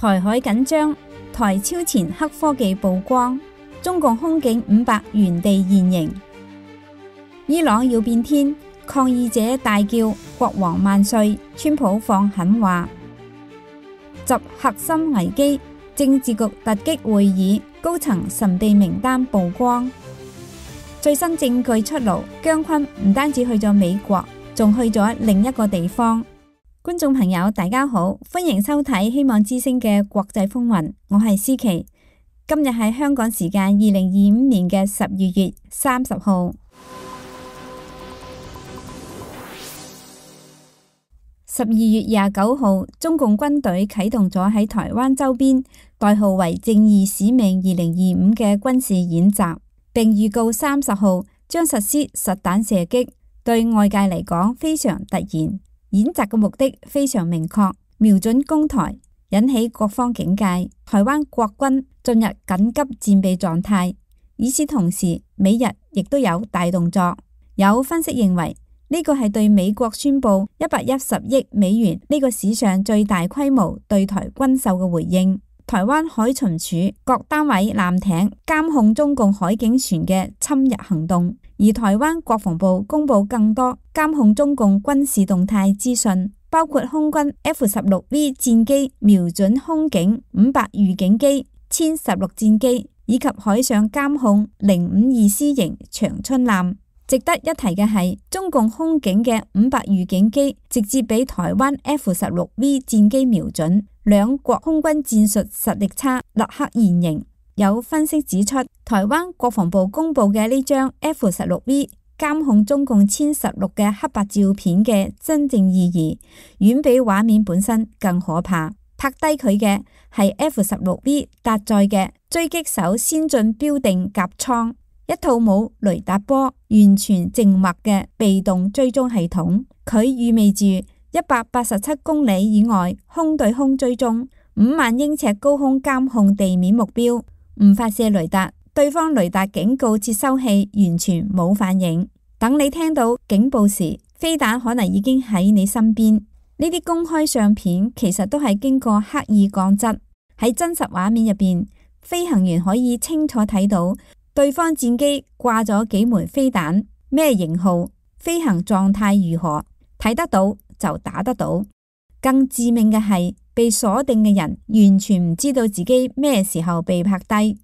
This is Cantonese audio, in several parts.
台海緊張，台超前黑科技曝光，中共空警500原地現形。伊朗要變天，抗議者大叫國王萬歲，川普放狠話。習核心危機，政治局突擊會議，高層神秘名單曝光。最新證據出爐，姜昆唔單止去咗美國，仲去咗另一個地方。觀眾朋友大家好，歡迎收睇希望之聲嘅國際風雲，我係思琪。今日係香港時間2025年嘅12月30號。12月29號，中共軍隊啟動咗喺台灣周邊代號為正義使命2025嘅軍事演習，並預告30號將實施實彈射擊，對外界嚟講非常突然。演習嘅目的非常明確，瞄準攻台，引起各方警戒。台灣國軍進入緊急戰備狀態。與此同時，美日亦都有大動作。有分析認為，呢個係對美國宣布110億美元呢個史上最大規模對台軍售嘅回應。台灣海巡署各單位艦艇監控中共海警船嘅侵入行動。而台灣國防部公布更多監控中共軍事動態資訊，包括空軍 F-16V 戰機瞄準空警500預警機、殲16戰機，以及海上監控052C 型長春艦。值得一提嘅係，中共空警嘅500預警機直接俾台灣 F-16V 戰機瞄準，兩國空軍戰術實力差，立刻現形。有分析指出，台灣國防部公布嘅呢張 F-16V 監控中共殲16嘅黑白照片嘅真正意義，遠比畫面本身更可怕。拍低佢嘅係 F-16V 搭載嘅狙擊手先進標定甲艙，一套冇雷達波、完全靜默嘅被動追蹤系統。佢意味住187公里以外空對空追蹤，5萬英尺高空監控地面目標。唔發射雷達，對方雷達警告接收器完全冇反應。等你聽到警報時，飛彈可能已經喺你身邊。呢啲公開相片其實都係經過刻意降質。喺真實畫面入邊，飛行員可以清楚睇到對方戰機掛咗幾枚飛彈，咩型號、飛行狀態如何，睇得到就打得到。更致命嘅係，被鎖定嘅人完全唔知道自己咩時候被拍低。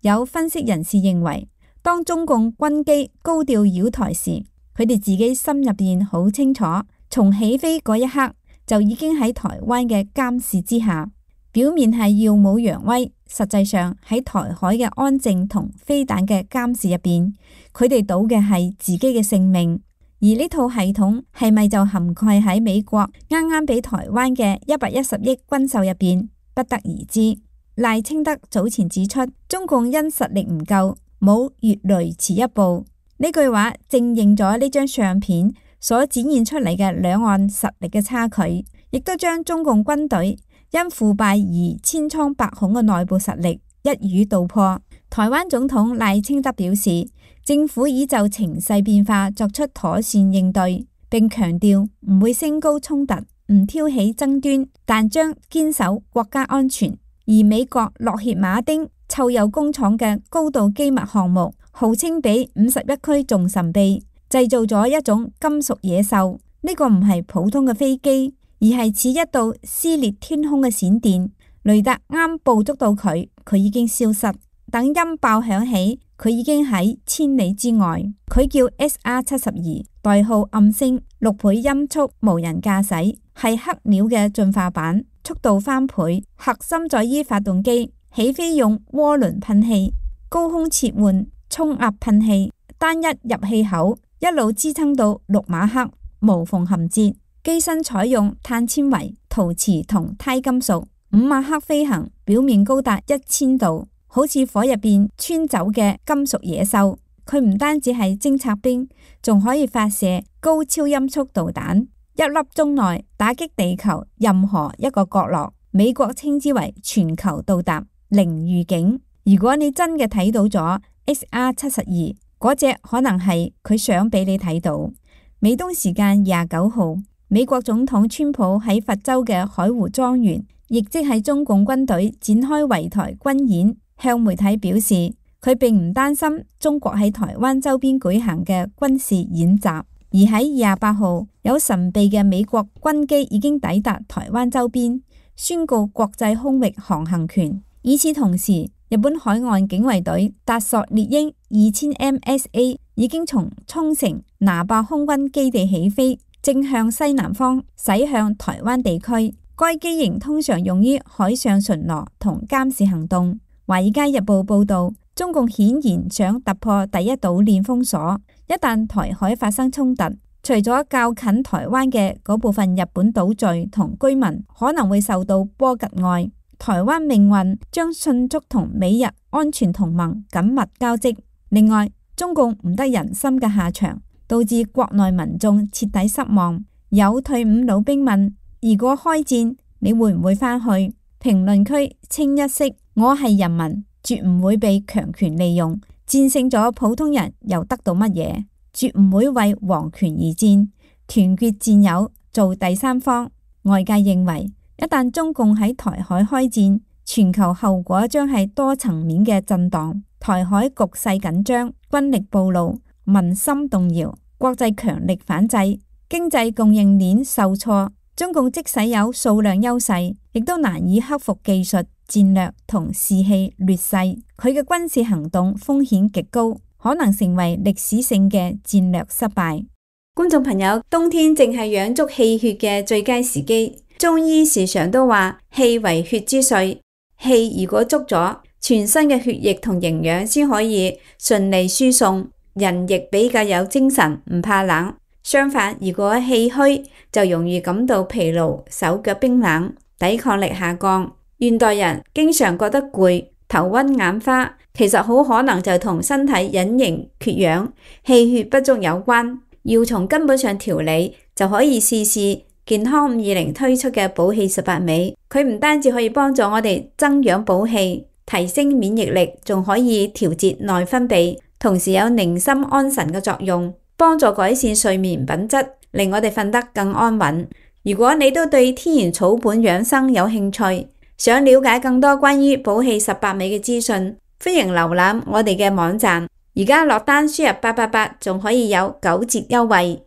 有分析人士認為，當中共軍機高調擾台時，佢哋自己心入邊好清楚，從起飛嗰一刻就已經喺台灣嘅監視之下。表面係耀武揚威，實際上喺台海嘅安靜同飛彈嘅監視入邊，佢哋賭嘅係自己嘅性命。而呢套系統係咪就涵蓋喺美國啱啱俾台灣嘅110億軍售入邊，不得而知。賴清德早前指出，中共因實力唔夠，冇越雷池一步。呢句話正應咗呢張相片所展現出嚟嘅兩岸實力嘅差距，亦都將中共軍隊因腐敗而千瘡百孔嘅內部實力一語道破。台灣總統賴清德表示，政府已就情勢變化作出妥善應對，並強調唔會升高衝突，唔挑起爭端，但將堅守國家安全。而美國洛歇馬丁臭鈾工廠嘅高度機密項目，號稱比51區仲神秘，製造咗一種金屬野獸。呢個唔係普通嘅飛機，而係似一道撕裂天空嘅閃電。雷達啱捕捉到佢，佢已經消失。等音爆響起，佢已經喺千里之外。佢叫 SR-72，代號暗星，6倍音速無人駕駛，係黑鳥嘅進化版，速度翻倍。核心在於發動機，起飛用渦輪噴氣，高空切換衝壓噴氣，單一入氣口一路支撐到6馬赫，無縫銜接。機身採用碳纖維、陶瓷同鈦金屬，5馬赫飛行，表面高達1000度。好似火入邊穿走嘅金屬野獸，佢唔單止係偵察兵，仲可以發射高超音速導彈，一粒鐘內打擊地球任何一個角落。美國稱之為全球到達零預警。如果你真嘅睇到咗 SR-72，嗰隻可能係佢想俾你睇到。美東時間29號，美國總統川普喺佛州嘅海湖莊園亦即係中共軍隊展開圍台軍演，向媒體表示佢並唔擔心中國喺台灣周邊舉行嘅軍事演習，而喺28號有神秘嘅美國軍機已經抵達台灣周邊，宣告國際空域航行權。與此同時，日本海岸警衛隊達索列鷹2000 MSA 已經從沖繩那霸空軍基地起飛，正向西南方駛向台灣地區。該機型通常用於海上巡邏同監視行動。華爾街日報報道，中共顯然想突破第一島鏈封鎖，一旦台海發生衝突，除咗較近台灣嘅嗰部分日本島嶼同居民可能會受到波及外，台灣命運將迅速同美日安全同盟緊密交織。另外，中共唔得人心嘅下場，導致國內民眾徹底失望。有退伍老兵問：如果開戰，你會唔會返去？評論區清一色：我係人民，絕唔會被強權利用。戰勝咗普通人又得到乜嘢？絕唔會為皇權而戰，團結戰友，做第三方。外界認為，一旦中共喺台海開戰，全球後果將係多層面嘅震盪，台海局勢緊張，軍力暴露，民心動搖，國際強力反制，經濟供應鏈受挫。中共即使有數量優勢，亦都難以克服技術、戰略同士氣劣勢。佢嘅軍事行動風險極高，可能成為歷史性嘅戰略失敗。觀眾朋友，冬天正係養足氣血嘅最佳時機。中醫時常都話氣為血之髓，氣如果足咗，全身嘅血液同營養先可以順利輸送，人亦比較有精神，唔怕冷。相反，如果氣虛，就容易感到疲勞、手腳冰冷、抵抗力下降。現代人經常覺得攰、頭暈眼花，其實好可能就同身體隱形缺氧、氣血不足有關。要從根本上調理，就可以試試健康520推出嘅補氣18味。佢唔單止可以幫助我哋增氧補氣、提升免疫力，仲可以調節內分泌，同時有寧心安神嘅作用，幫助改善睡眠品質，令我哋瞓得更安穩。如果你都對天然草本養生有興趣，想了解更多關於補氣18味嘅資訊，歡迎瀏覽我哋嘅網站。而家落單輸入888，仲可以有9折優惠。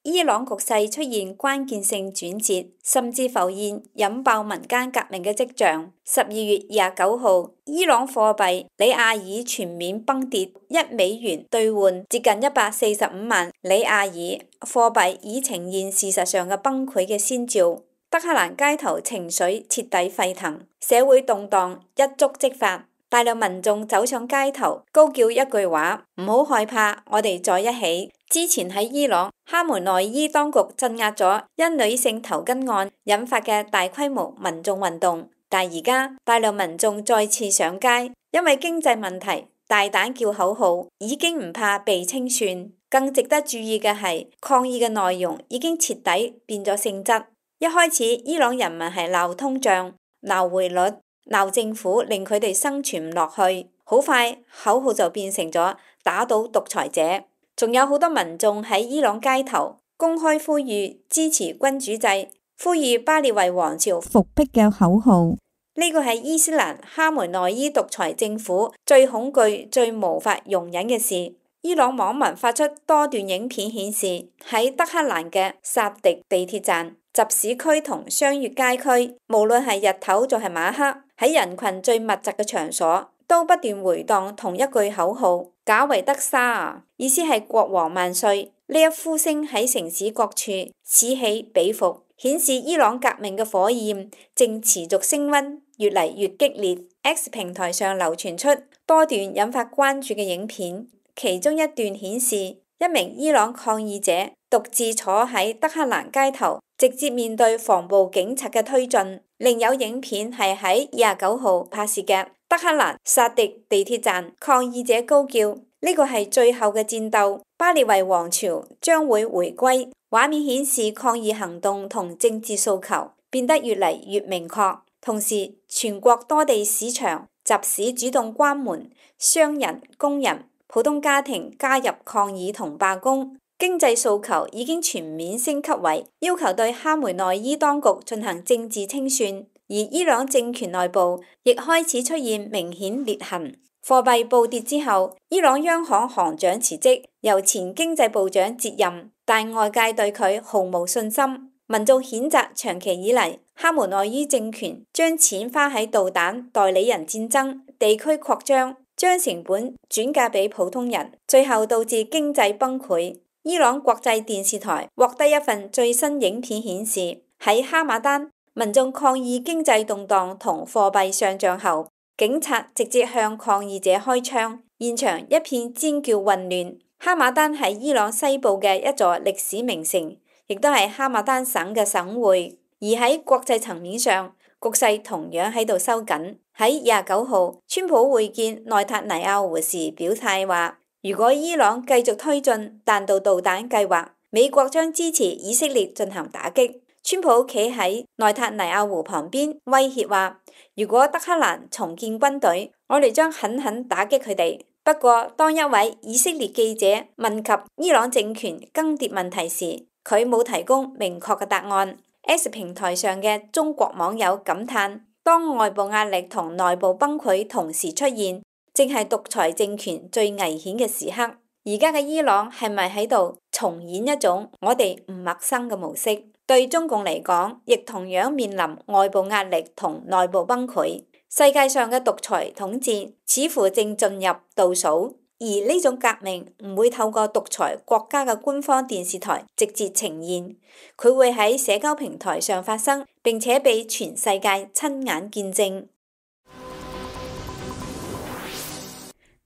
伊朗局勢出現關鍵性轉折，甚至浮現引爆民間革命嘅跡象。12月29號，伊朗貨幣里亞爾全面崩跌，1美元兌換接近145萬里亞爾，貨幣已呈現事實上嘅崩潰嘅先兆。德黑蘭街頭情緒徹底沸騰，社會動盪一觸即發。大量民眾走上街頭，高叫一句話：唔好害怕，我哋在一起。之前喺伊朗，哈梅內伊當局鎮壓咗因女性頭巾案引發嘅大規模民眾運動，但而家大量民眾再次上街，因為經濟問題，大膽叫口號，已經唔怕被清算。更值得注意嘅係，抗議嘅內容已經徹底變咗性質。一開始，伊朗人民係鬧通脹、鬧匯率、鬧政府，令佢哋生存唔落去。好快，口號就變成咗打倒獨裁者。仲有好多民眾喺伊朗街頭公開呼籲支持君主制，呼籲巴列維王朝復辟嘅口號。呢個係伊斯蘭哈梅內伊獨裁政府最恐懼、最無法容忍嘅事。伊朗網民發出多段影片顯示，喺德黑蘭嘅薩迪地鐵站、集市區同商業街區，無論係日頭仲係晚黑，喺人群最密集嘅場所，都不斷回盪同一句口號：賈維德沙啊，意思係國王萬歲。呢一呼聲喺城市各處此起彼伏，顯示伊朗革命嘅火焰正持續升溫，越嚟越激烈。X 平台上流傳出多段引發關注嘅影片，其中一段顯示一名伊朗抗議者獨自坐喺德黑蘭街頭，直接面對防暴警察嘅推進。另有影片係喺29號拍攝嘅德黑蘭薩迪地鐵站，抗議者高叫：呢個係最後嘅戰鬥，巴列維王朝將會回歸。畫面顯示抗議行動同政治訴求變得越嚟越明確，同時全國多地市場、集市主動關門，商人、工人、普通家庭加入抗議同罷工。經濟訴求已經全面升級為要求對哈梅內伊當局進行政治清算，而伊朗政權內部亦開始出現明顯裂痕。貨幣暴跌之後，伊朗央行行長辭職，由前經濟部長接任，但外界對佢毫無信心。民眾譴責長期以嚟哈梅內伊政權將錢花喺導彈、代理人戰爭、地區擴張，將成本轉嫁俾普通人，最後導致經濟崩潰。伊朗國際電視台獲得一份最新影片顯示，喺哈馬丹，民眾抗議經濟動盪同貨幣上漲後，警察直接向抗議者開槍，現場一片尖叫混亂。哈馬丹係伊朗西部嘅一座歷史名城，亦都係哈馬丹省嘅省會。而喺國際層面上，局勢同樣喺度收緊。喺29號，川普會見內塔尼亞胡時表態話，如果伊朗繼續推進彈道導彈計劃，美國將支持以色列進行打擊。川普企喺內塔尼亞胡旁邊威脅話，如果德黑蘭重建軍隊，我哋將狠狠打擊佢哋。不過，當一位以色列記者問及伊朗政權更迭問題時，佢冇提供明確嘅答案。X 平台上嘅中國網友感嘆，當外部壓力同內部崩潰同時出現，正係獨裁政權最危險嘅時刻。而家嘅伊朗係咪喺度重演一種我哋唔陌生嘅模式？對中共嚟講，亦同樣面臨外部壓力同內部崩潰。世界上嘅獨裁統治似乎正進入倒數，而呢種革命唔會透過獨裁國家嘅官方電視台直接呈現，佢會喺社交平台上發生，並且被全世界親眼見證。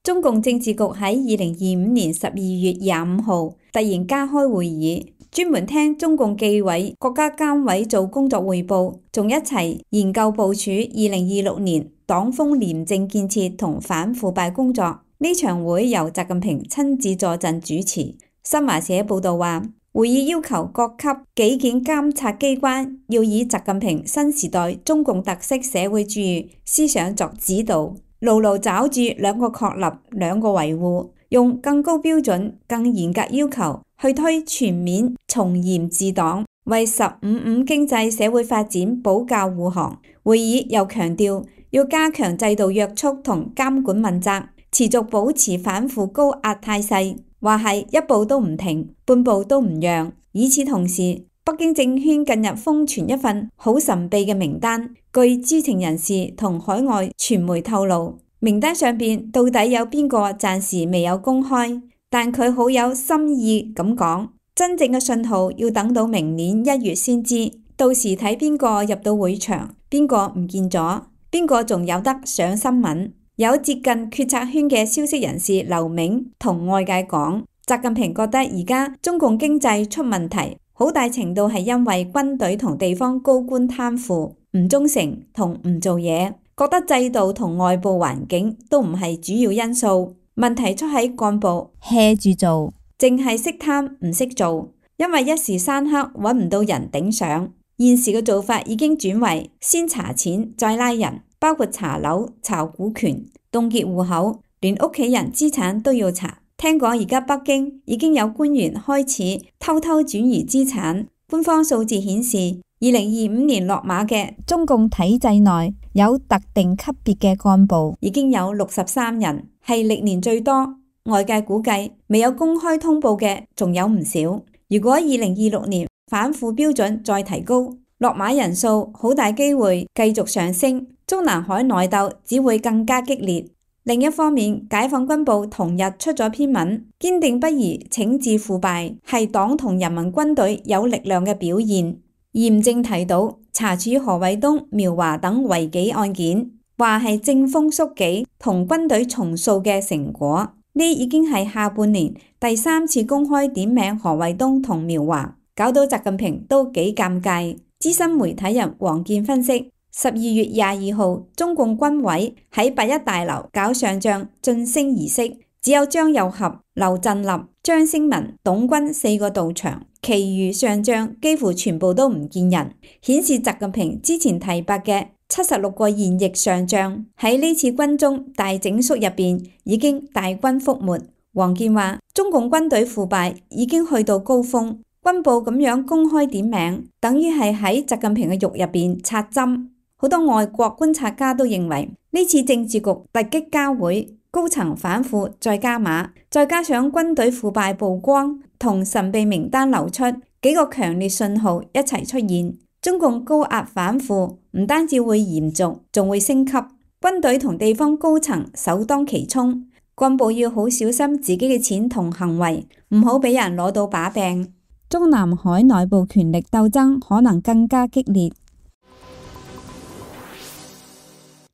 中共政治局喺2025年12月25號突然加開會議，專門聽中共紀委國家監委做工作匯報，仲一齊研究部署2026年黨風廉政建設同反腐敗工作。呢場會由習近平親自坐鎮主持。新華社報道話，會議要求各級紀檢監察機關要以習近平新時代中共特色社會主義思想作指導，牢牢抓住兩個確立、兩個維護，用更高標準、更嚴格要求去推全面從嚴治黨，為15經濟社會發展保駕護航。會議又強調要加強制度約束同監管問責，持續保持反腐高壓態勢，話係一步都唔停，半步都唔讓。與此同時，北京政圈近日瘋傳一份好神秘嘅名單，據知情人士同海外傳媒透露，名單上邊到底有邊個暫時未有公開，但佢好有心意咁講，真正嘅信號要等到明年1月先知，到時睇邊個入到會場，邊個唔見咗，邊個仲有得上新聞。有接近決策圈嘅消息人士劉銘同外界講，習近平覺得而家中共經濟出問題，好大程度係因為軍隊同地方高官貪腐、唔忠誠同唔做嘢，覺得制度同外部環境都唔係主要因素，問題出喺幹部 hea 住做，淨係識貪唔識做，因為一時三刻揾唔到人頂上。現時嘅做法已經轉為先查錢再拉人，包括查樓、查股權、凍結戶口，連屋企人資產都要查。聽講而家北京已經有官員開始偷偷轉移資產。官方數字顯示，2025年落馬嘅中共體制內有特定級別嘅幹部已經有63人，係歷年最多。外界估計未有公開通報嘅仲有唔少。如果2026年反腐標準再提高，落馬人數好大機會繼續上升，中南海內鬥只會更加激烈。另一方面，解放軍報同日出咗篇文，堅定不移懲治腐敗係黨同人民軍隊有力量嘅表現，嚴正提到查處何衛東、苗華等違紀案件，話係正風肅紀同軍隊重塑嘅成果。呢已經係下半年第3次公開點名何衛東同苗華，搞到習近平都幾尷尬。資深媒體人王健分析，12月22號，中共軍委喺8·1大樓搞上將晉升儀式，只有張又俠、劉振立、張升文、董軍4個到場，其餘上將幾乎全部都唔見人，顯示習近平之前提拔嘅76個現役上將喺呢次軍中大整肅入邊已經大軍覆沒，王健話：中共軍隊腐敗已經去到高峰，軍部咁樣公開點名，等於係喺習近平嘅肉入邊插針。好多外國觀察家都認為，呢次政治局突擊交會，高層反腐再加碼，再加上軍隊腐敗曝光同神秘名單流出，幾個強烈信號一齊出現，中共高壓反腐唔單止會嚴重，仲會升級。軍隊同地方高層首當其衝，幹部要好小心自己嘅錢同行為，唔好俾人攞到把柄。中南海內部權力鬥爭可能更加激烈。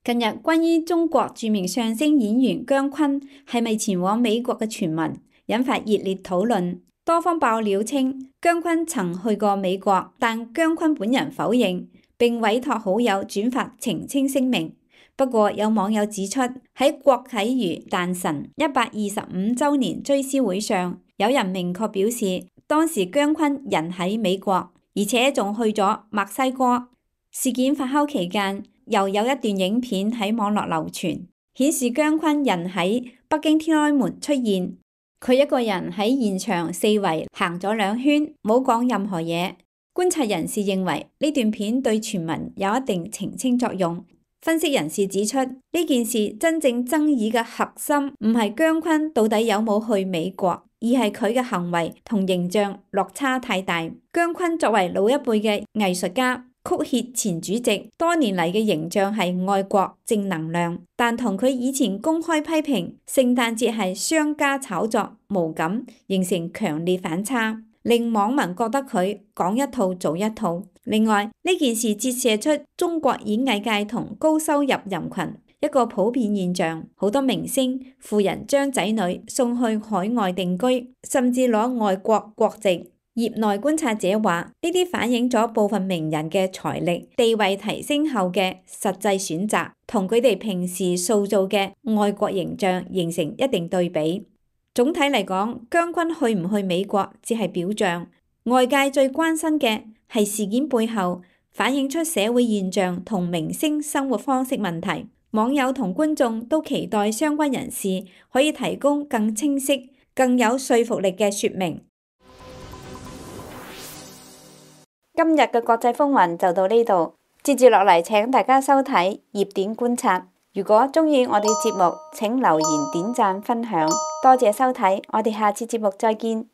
近日關於中國著名相聲演員姜昆係咪前往美國嘅傳聞引發熱烈討論，多方爆料稱姜昆曾去過美國，但姜昆本人否認，並委託好友轉發澄清聲明。不過有網友指出，喺郭啟儒誕辰125週年追思會上，有人明確表示當時姜昆人喺美國，而且仲去咗墨西哥。事件發酵期間，又有一段影片喺網絡流傳，顯示姜昆人喺北京天安門出現，佢一個人喺現場四圍行咗2圈，冇講任何嘢。觀察人士認為呢段片對傳聞有一定澄清作用。分析人士指出，呢件事真正爭議嘅核心唔係姜昆到底有冇去美國，而係佢嘅行為同形象落差太大。姜昆作為老一輩嘅藝術家、曲協前主席，多年嚟嘅形象係愛國正能量，但同佢以前公開批評聖誕節係商家炒作無感，形成強烈反差，令網民覺得佢講一套做一套。另外，呢件事折射出中國演藝界同高收入人群一個普遍現象，好多明星、富人將仔女送去海外定居，甚至攞外國國籍。業內觀察者話，呢啲反映咗部分名人嘅財力、地位提升後嘅實際選擇，同佢哋平時塑造嘅愛國形象形成一定對比。總體嚟講，姜昆去唔去美國只係表象，外界最關心嘅係事件背後反映出社會現象同明星生活方式問題。網友同觀眾都期待相關人士可以提供更清晰、更有說服力嘅說明。今日嘅國際風雲就到呢度，接住落嚟請大家收睇熱點觀察。如果鍾意我哋節目，請留言、點讚、分享。多謝收睇，我哋下次節目再見。